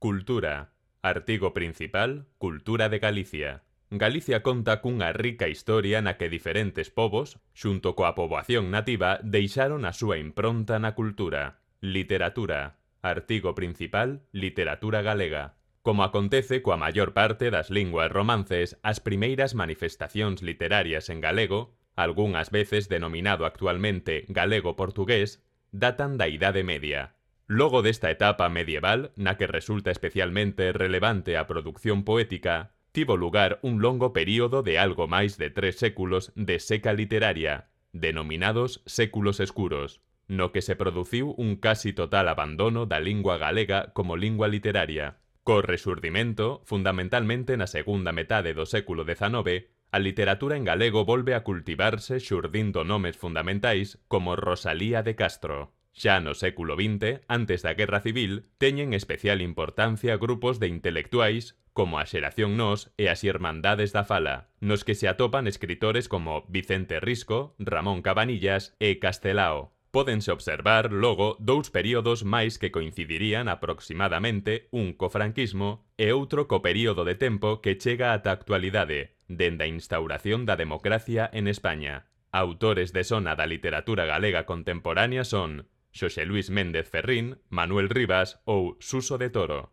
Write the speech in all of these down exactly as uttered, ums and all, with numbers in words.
Cultura. Artigo principal, Cultura de Galicia. Galicia conta cunha rica historia na que diferentes povos, xunto coa poboación nativa, deixaron a súa impronta na cultura. Literatura. Artigo principal, Literatura galega. Como acontece coa maior parte das linguas romances, as primeiras manifestacións literarias en galego, algunhas veces denominado actualmente galego-portugués, datan da Idade Media. Logo desta etapa medieval, na que resulta especialmente relevante a produción poética, tivo lugar un longo período de algo máis de tres séculos de seca literaria, denominados séculos escuros, no que se produciu un casi total abandono da lingua galega como lingua literaria. Co resurdimento, fundamentalmente na segunda metade do século dezanove, a literatura en galego volve a cultivarse xurdindo nomes fundamentais como Rosalía de Castro. Xa no século vinte, antes da Guerra Civil, teñen especial importancia grupos de intelectuais como a Xeración Nós e as Irmandades da Fala, nos que se atopan escritores como Vicente Risco, Ramón Cabanillas e Castelao. Pódense observar, logo, dous períodos máis que coincidirían aproximadamente un co franquismo e outro co período de tempo que chega ata a actualidade, dende a instauración da democracia en España. Autores de sona da literatura galega contemporánea son Xosé Luis Méndez Ferrín, Manuel Rivas ou Suso de Toro.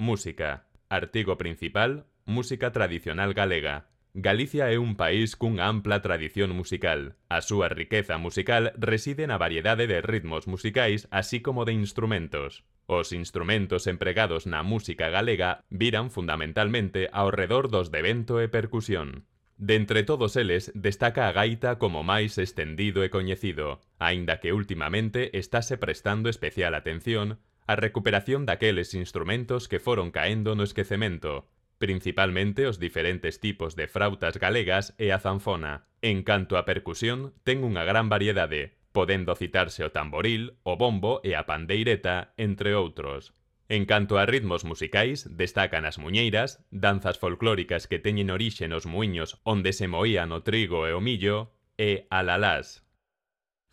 Música. Artigo principal, Música tradicional galega. Galicia é un país cunha ampla tradición musical. A súa riqueza musical reside na variedade de ritmos musicais así como de instrumentos. Os instrumentos empregados na música galega viran fundamentalmente ao redor dos de vento e percusión. De entre todos eles, destaca a gaita como máis estendido e coñecido, aínda que últimamente estáse prestando especial atención á recuperación daqueles instrumentos que foron caendo no esquecemento, principalmente os diferentes tipos de frautas galegas e a zanfona. En canto a percusión, ten unha gran variedade, podendo citarse o tamboril, o bombo e a pandeireta, entre outros. En canto a ritmos musicais, destacan as muñeiras, danzas folclóricas que teñen orixe nos muiños onde se moían o trigo e o millo, e alalás.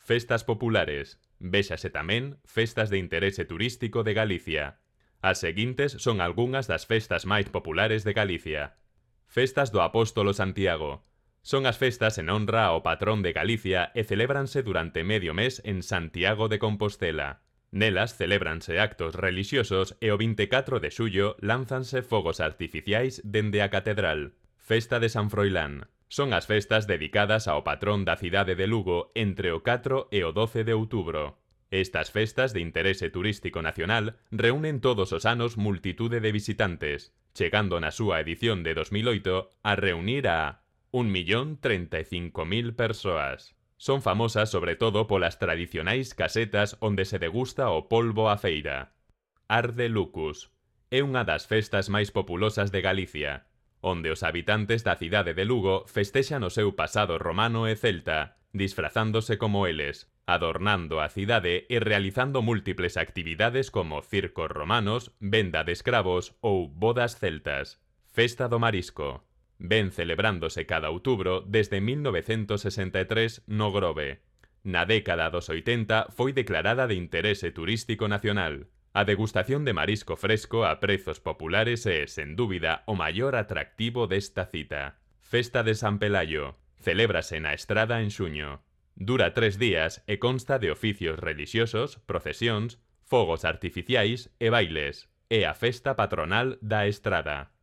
Festas populares. Véxase tamén festas de interese turístico de Galicia. As seguintes son algunhas das festas máis populares de Galicia. Festas do Apóstolo Santiago. Son as festas en honra ao patrón de Galicia e celébranse durante medio mes en Santiago de Compostela. Nelas celébranse actos relixiosos e o vinte e catro de xullo lánzanse fogos artificiais dende a catedral. Festa de San Froilán. Son as festas dedicadas ao patrón da cidade de Lugo entre o catro e o doce de outubro. Estas festas de interese turístico nacional reúnen todos os anos multitude de visitantes, chegando na súa edición de dos mil oito a reunir a un millón treinta e cinco mil persoas. Son famosas sobre todo polas tradicionais casetas onde se degusta o polvo á feira. Arde Lucus. É unha das festas máis populosas de Galicia, onde os habitantes da cidade de Lugo festexan o seu pasado romano e celta, disfrazándose como eles, adornando a cidade e realizando múltiples actividades como circos romanos, venda de escravos ou bodas celtas. Festa do Marisco. Ven celebrándose cada outubro desde mil novecentos sesenta e tres no Grove. Na década dos oitenta foi declarada de interese turístico nacional. A degustación de marisco fresco a prezos populares é, sen dúbida, o maior atractivo desta cita. Festa de San Pelayo. Celébrase na Estrada en xuño. Dura tres días e consta de oficios relixiosos, procesións, fogos artificiais e bailes. É a festa patronal da Estrada.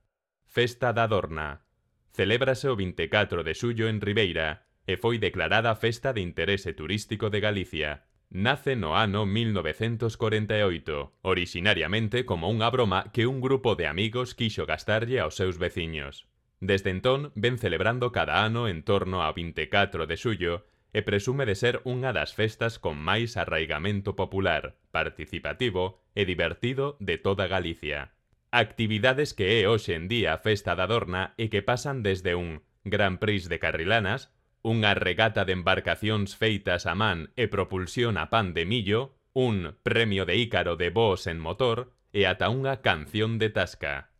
Festa da Dorna. Celébrase o vinte e catro de xullo en Ribeira e foi declarada Festa de Interese Turístico de Galicia. Nace no ano mil novecentos corenta e oito, orixinariamente como unha broma que un grupo de amigos quixo gastarlle aos seus veciños. Desde entón, ven celebrando cada ano en torno ao vinte e catro de xullo e presume de ser unha das festas con máis arraigamento popular, participativo e divertido de toda Galicia. Actividades que é hoxe en día a Festa da Dorna e que pasan desde un Gran Prix de carrilanas, unha regata de embarcacións feitas a man e propulsión a pan de millo, un premio de Ícaro de voos en motor e ata unha canción de tasca.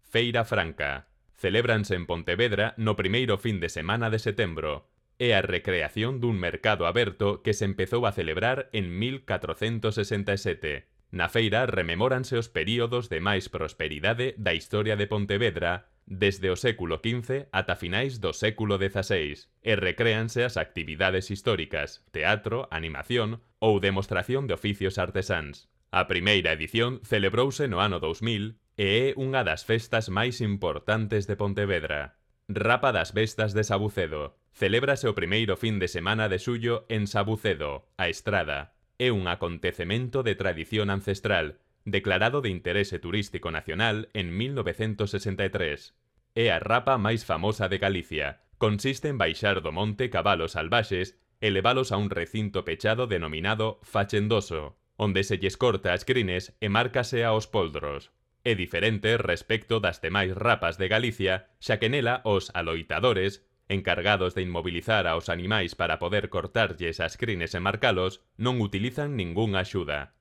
Feira Franca. Celébranse en Pontevedra no primeiro fin de semana de setembro. É a recreación dun mercado aberto que se empezou a celebrar en mil catrocentos sesenta e sete. Na feira rememóranse os períodos de máis prosperidade da historia de Pontevedra desde o século quince ata finais do século dezaseis e recréanse as actividades históricas, teatro, animación ou demostración de oficios artesáns. A primeira edición celebrouse no ano dous mil e é unha das festas máis importantes de Pontevedra. Rapa das Bestas de Sabucedo. Celébrase o primeiro fin de semana de xullo en Sabucedo, a Estrada. É un acontecemento de tradición ancestral, declarado de interese turístico nacional en mil novecentos sesenta e tres. É a rapa máis famosa de Galicia. Consiste en baixar do monte cabalos salvaxes e levalos a un recinto pechado denominado fachendoso, onde se lles corta as crines e márcase aos poldros. É diferente respecto das demais rapas de Galicia, xa que nela os aloitadores, encargados de inmobilizar aos animais para poder cortarlles as crines e marcalos, non utilizan ningunha axuda.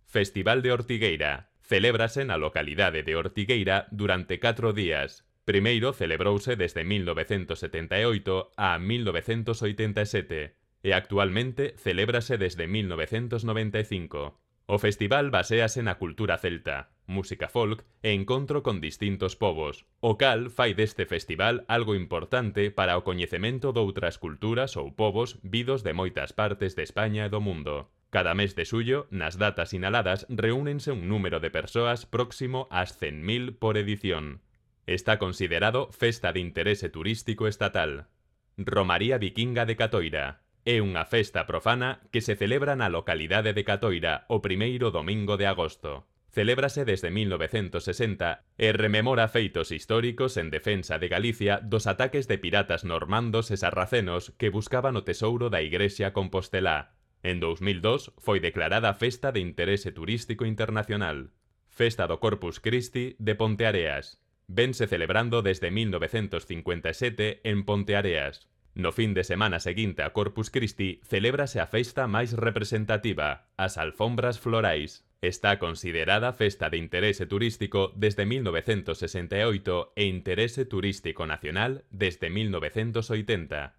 Festival de Ortigueira. Celébrase na localidade de Ortigueira durante catro días. Primeiro celebrouse desde mil novecentos setenta e oito a mil novecentos oitenta e sete e actualmente celébrase desde mil novecentos noventa e cinco. O festival baséase na cultura celta, música folk e encontro con distintos povos, o cal fai deste festival algo importante para o coñecemento doutras culturas ou povos vidos de moitas partes de España e do mundo. Cada mes de xullo, nas datas sinaladas, reúnense un número de persoas próximo ás cen mil por edición. Está considerado festa de interese turístico estatal. Romaría Vikinga de Catoira. É unha festa profana que se celebra na localidade de Catoira o primeiro domingo de agosto. Celébrase desde mil novecentos sesenta e rememora feitos históricos en defensa de Galicia dos ataques de piratas normandos e sarracenos que buscaban o tesouro da Igrexa compostelá. En dous mil dos foi declarada Festa de Interese Turístico Internacional. Festa do Corpus Christi de Ponteareas. Vense celebrando desde mil novecentos cincuenta e sete en Ponteareas. No fin de semana seguinte a Corpus Christi celébrase a festa máis representativa, as alfombras florais. Está considerada festa de interese turístico desde mil novecentos sesenta e oito e interese turístico nacional desde mil novecentos oitenta.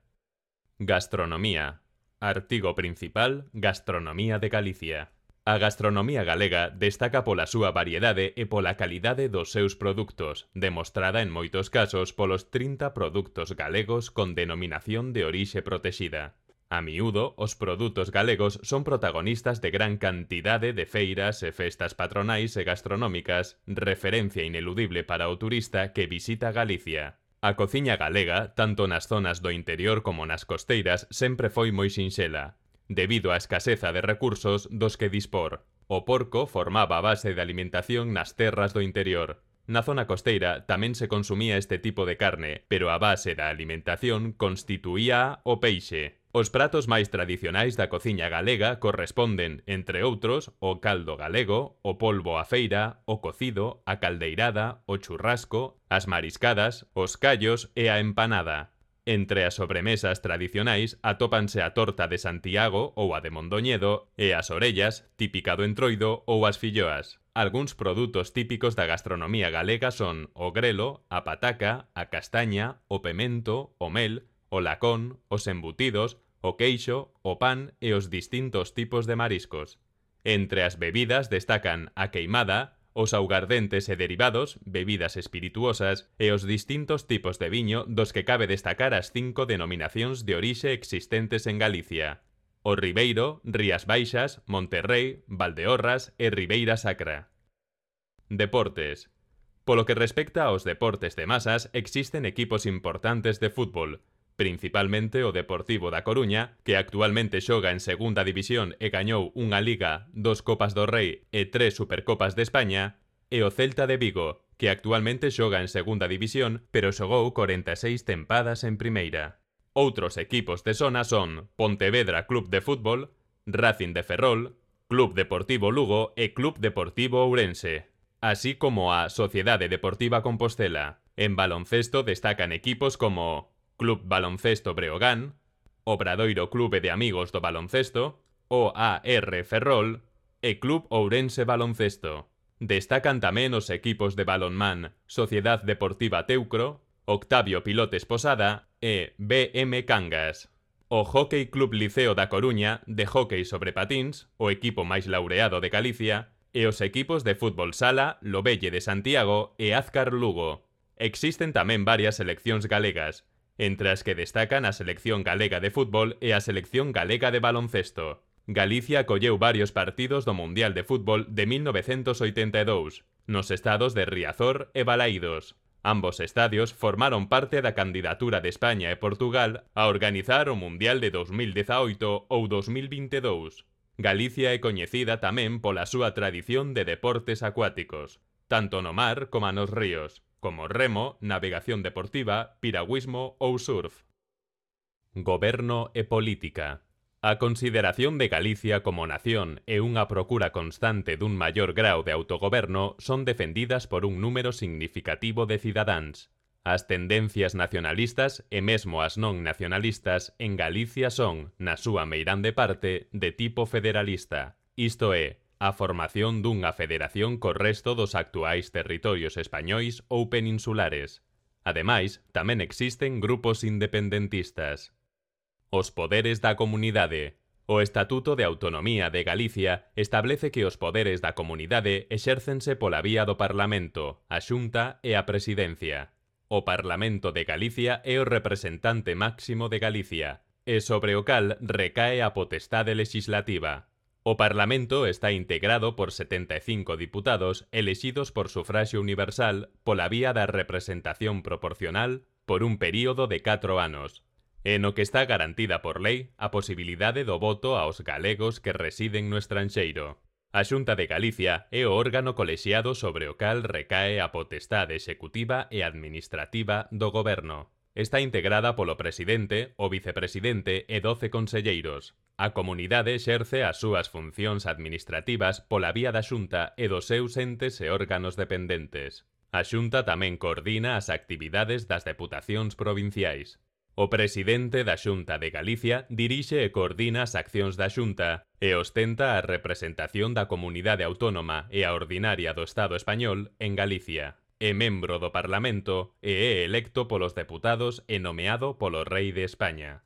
Gastronomía. Artigo principal: Gastronomía de Galicia. A gastronomía galega destaca pola súa variedade e pola calidade dos seus produtos, demostrada en moitos casos polos trinta produtos galegos con denominación de orixe protexida. A miúdo, os produtos galegos son protagonistas de gran cantidade de feiras e festas patronais e gastronómicas, referencia ineludible para o turista que visita Galicia. A cociña galega, tanto nas zonas do interior como nas costeiras, sempre foi moi sinxela, debido á escaseza de recursos dos que dispor. O porco formaba a base de alimentación nas terras do interior. Na zona costeira tamén se consumía este tipo de carne, pero a base da alimentación constituía o peixe. Os pratos máis tradicionais da cociña galega corresponden, entre outros, o caldo galego, o polvo á feira, o cocido, a caldeirada, o churrasco, as mariscadas, os callos e a empanada. Entre as sobremesas tradicionais atópanse a torta de Santiago ou a de Mondoñedo e as orellas, típica do Entroido, ou as filloas. Algúns produtos típicos da gastronomía galega son o grelo, a pataca, a castaña, o pemento, o mel, o lacón, os embutidos, o queixo, o pan e os distintos tipos de mariscos. Entre as bebidas destacan a queimada, os augardentes e derivados, bebidas espirituosas e os distintos tipos de viño dos que cabe destacar as cinco denominacións de orixe existentes en Galicia: o Ribeiro, Rías Baixas, Monterrei, Valdeorras e Ribeira Sacra. Deportes. Polo que respecta aos deportes de masas, existen equipos importantes de fútbol, principalmente o Deportivo da Coruña, que actualmente xoga en segunda división e gañou unha Liga, dos Copas do Rei e tres Supercopas de España, e o Celta de Vigo, que actualmente xoga en segunda división, pero xogou corenta e seis tempadas en primeira. Outros equipos de zona son Pontevedra Club de Fútbol, Racing de Ferrol, Club Deportivo Lugo e Club Deportivo Ourense, así como a Sociedade Deportiva Compostela. En baloncesto destacan equipos como Club Baloncesto Breogán, Obradoiro Clube de Amigos do Baloncesto, O A R Ferrol e Club Ourense Baloncesto. Destacan tamén os equipos de balonmán Sociedad Deportiva Teucro, Octavio Pilotes Posada e B M Cangas. O Hóckey Club Liceo da Coruña, de hóckey sobre patíns, o equipo máis laureado de Galicia, e os equipos de fútbol sala Lobelle de Santiago e Azcar Lugo. Existen tamén varias seleccións galegas, entre as que destacan a Selección Galega de Fútbol e a Selección Galega de Baloncesto. Galicia acolleu varios partidos do Mundial de Fútbol de mil novecentos oitenta e dous, nos estados de Riazor e Balaídos. Ambos estadios formaron parte da candidatura de España e Portugal a organizar o Mundial de dos mil dezaoito ou dos mil vinte e dous. Galicia é coñecida tamén pola súa tradición de deportes acuáticos, tanto no mar como nos ríos, como remo, navegación deportiva, piragüismo ou surf. Goberno e política. A consideración de Galicia como nación e unha procura constante dun maior grau de autogoberno son defendidas por un número significativo de cidadáns. As tendencias nacionalistas e mesmo as non nacionalistas en Galicia son, na súa meirande parte, de tipo federalista, isto é, a formación dunha federación co resto dos actuais territorios españois ou peninsulares. Ademais, tamén existen grupos independentistas. Os poderes da comunidade. O Estatuto de Autonomía de Galicia establece que os poderes da comunidade exércense pola vía do Parlamento, a Xunta e a Presidencia. O Parlamento de Galicia é o representante máximo de Galicia, e sobre o cal recae a potestade legislativa. O Parlamento está integrado por setenta e cinco diputados elexidos por sufraxio universal pola vía da representación proporcional por un período de catro anos, e no que está garantida por lei a posibilidade do voto aos galegos que residen no estranxeiro. A Xunta de Galicia é o órgano colexiado sobre o cal recae a potestade executiva e administrativa do goberno. Está integrada polo presidente, o vicepresidente e doce conselleiros. A comunidade exerce as súas funcións administrativas pola vía da Xunta e dos seus entes e órganos dependentes. A Xunta tamén coordina as actividades das deputacións provinciais. O presidente da Xunta de Galicia dirixe e coordina as accións da Xunta e ostenta a representación da comunidade autónoma e a ordinaria do Estado español en Galicia. É membro do Parlamento e é electo polos deputados e nomeado polo Rei de España.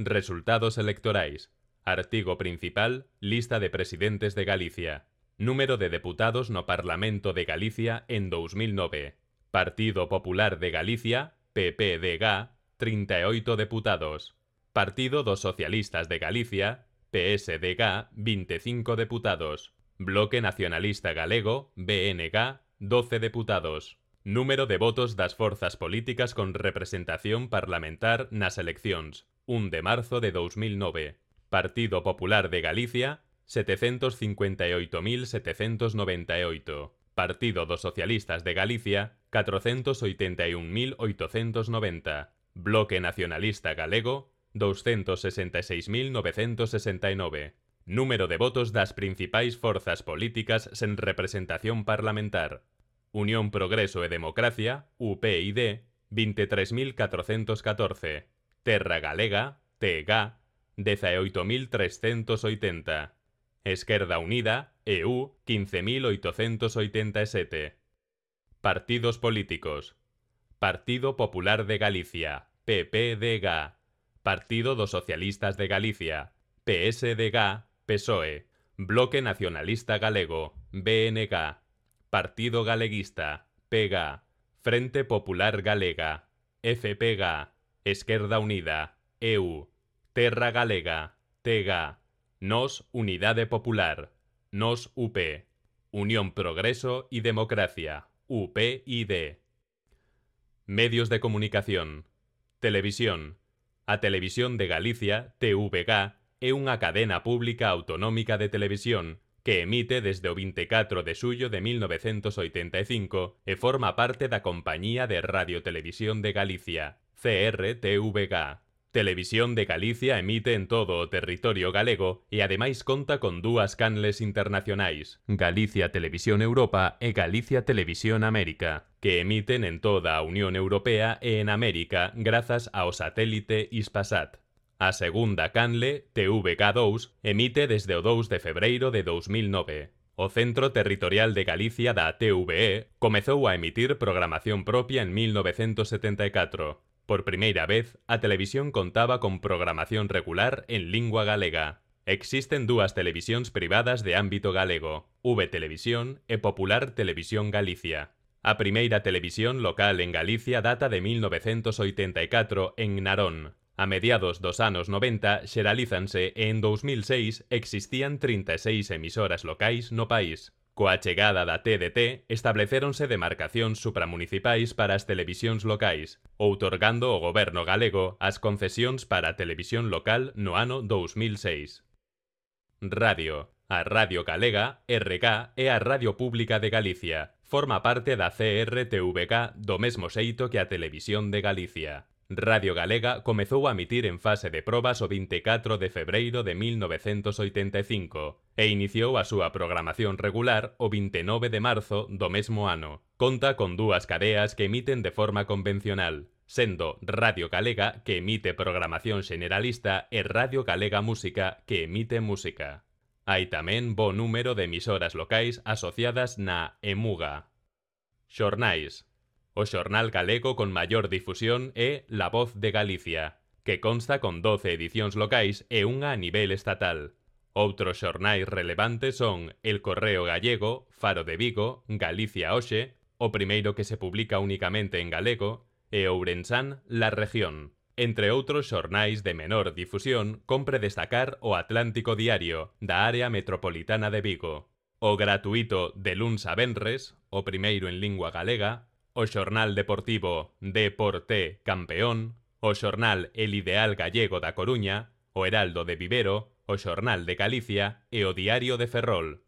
Resultados electorais. Artigo principal, lista de presidentes de Galicia. Número de deputados no Parlamento de Galicia en dous mil nove. Partido Popular de Galicia, P P D G, trinta e oito deputados. Partido dos Socialistas de Galicia, P S D G, vinte e cinco deputados. Bloque Nacionalista Galego, B N G, doce deputados. Número de votos das forzas políticas con representación parlamentar nas eleccións, un de marzo de dous mil nove. Partido Popular de Galicia, setecentos cincuenta e oito mil setecentos noventa e oito. Partido dos Socialistas de Galicia, catrocentos oitenta e un mil oitocentos noventa. Bloque Nacionalista Galego, doscientos sesenta e seis mil novecentos sesenta e nove. Número de votos das principais forzas políticas sen representación parlamentar. Unión Progreso e Democracia, U P y D, vinte e tres mil catrocentos catorce. Terra Galega, T G, dezaoito mil trescentos oitenta. Esquerda Unida, E U, quince mil oitocentos oitenta e sete. Partidos políticos. Partido Popular de Galicia, P P D G. Partido dos Socialistas de Galicia, P S D G, P S O E. Bloque Nacionalista Galego, B N G. Partido Galeguista, P G. Frente Popular Galega, F P G. Esquerda Unida, E U. Terra Galega, T G. Nos Unidade Popular, Nos U P. Unión Progreso y Democracia, U P y D. Medios de comunicación. Televisión. A Televisión de Galicia, T V G, é unha cadena pública autonómica de televisión que emite desde o vinte e catro de xullo de mil novecentos oitenta e cinco e forma parte da Compañía de Radio-Televisión de Galicia, C R T V G. Televisión de Galicia emite en todo o territorio galego e ademais conta con dúas canles internacionais, Galicia Televisión Europa e Galicia Televisión América, que emiten en toda a Unión Europea e en América grazas ao satélite Hispasat. A segunda canle, T V G dous, emite desde o dous de febreiro de dous mil nove. O Centro Territorial de Galicia da T V E comezou a emitir programación propia en mil novecentos setenta e catro. Por primeira vez, a televisión contaba con programación regular en lingua galega. Existen dúas televisións privadas de ámbito galego, V Televisión e Popular Televisión Galicia. A primeira televisión local en Galicia data de mil novecentos oitenta e catro en Narón. A mediados dos anos noventa xeralízanse e en dous mil seis existían trinta e seis emisoras locais no país. Coa chegada da T D T establecéronse demarcacións supramunicipais para as televisións locais, outorgando o goberno galego as concesións para a televisión local no ano dous mil seis. Radio. A Radio Galega, R G, é a Radio Pública de Galicia. Forma parte da C R T V G do mesmo xeito que a Televisión de Galicia. Radio Galega comezou a emitir en fase de probas o vinte e catro de febreiro de mil novecentos oitenta e cinco e iniciou a súa programación regular o vinte e nove de marzo do mesmo ano. Conta con dúas cadeas que emiten de forma convencional, sendo Radio Galega, que emite programación xeneralista, e Radio Galega Música, que emite música. Hai tamén bo número de emisoras locais asociadas na EMUGA. Xornais. O xornal galego con maior difusión é La Voz de Galicia, que consta con doce edicións locais e unha a nivel estatal. Outros xornais relevantes son El Correo Gallego, Faro de Vigo, Galicia Hoxe, o primeiro que se publica únicamente en galego, e Ourensán, La Región. Entre outros xornais de menor difusión, compre destacar o Atlántico Diario, da área metropolitana de Vigo, o gratuito de luns a venres, o primeiro en lingua galega, o xornal deportivo Deporte Campeón, o xornal El Ideal Gallego da Coruña, o Heraldo de Vivero, o xornal de Galicia e o Diario de Ferrol.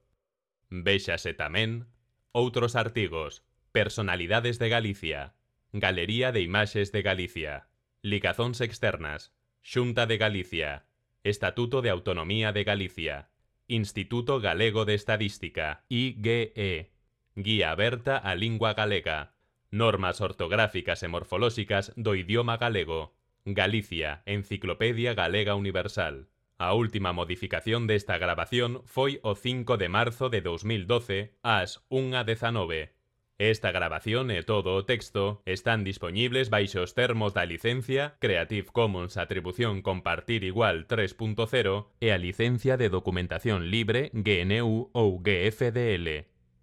Véxase tamén outros artigos: Personalidades de Galicia, Galería de Imaxes de Galicia, Ligazóns externas, Xunta de Galicia, Estatuto de Autonomía de Galicia, Instituto Galego de Estadística, I G E, Guía aberta á lingua galega, Normas ortográficas e morfolóxicas do idioma galego, Galicia, Enciclopedia Galega Universal. A última modificación desta grabación foi o cinco de marzo de dous mil doce ás unha dezanove. Esta grabación e todo o texto están dispoñibles baixo os termos da licencia Creative Commons Atribución Compartir Igual tres punto cero e a licencia de documentación libre G N U ou G F D L.